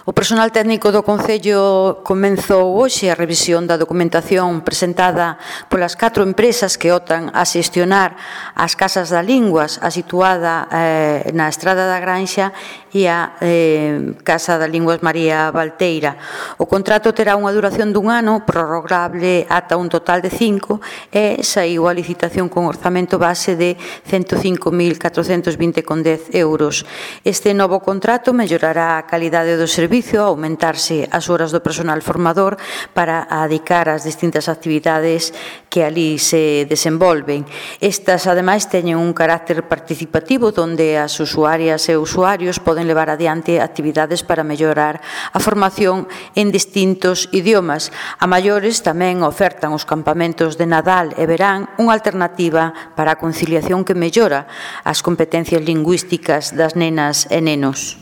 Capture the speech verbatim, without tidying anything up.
O personal técnico do Concello comenzou hoxe a revisión da documentación presentada polas catro empresas que optan a xestionar as casas da linguas, a situada eh, na Estrada da Granxa e a eh, Casa da Linguas María Valteira. O contrato terá unha duración dun ano, prorrogable ata un total de cinco, e saiu a licitación con orzamento base de cento cinco mil catrocentos vinte con dez euros. Este novo contrato mellorará a calidade do servizo, aumentarse as horas do personal formador para adicar as distintas actividades que ali se desenvolven. Estas, ademais, teñen un carácter participativo onde as usuarias e usuarios poden levar adiante actividades para mellorar a formación en distintos idiomas. A maiores tamén ofertan os campamentos de Nadal e verán unha alternativa para a conciliación que mellora as competencias lingüísticas das nenas e nenos.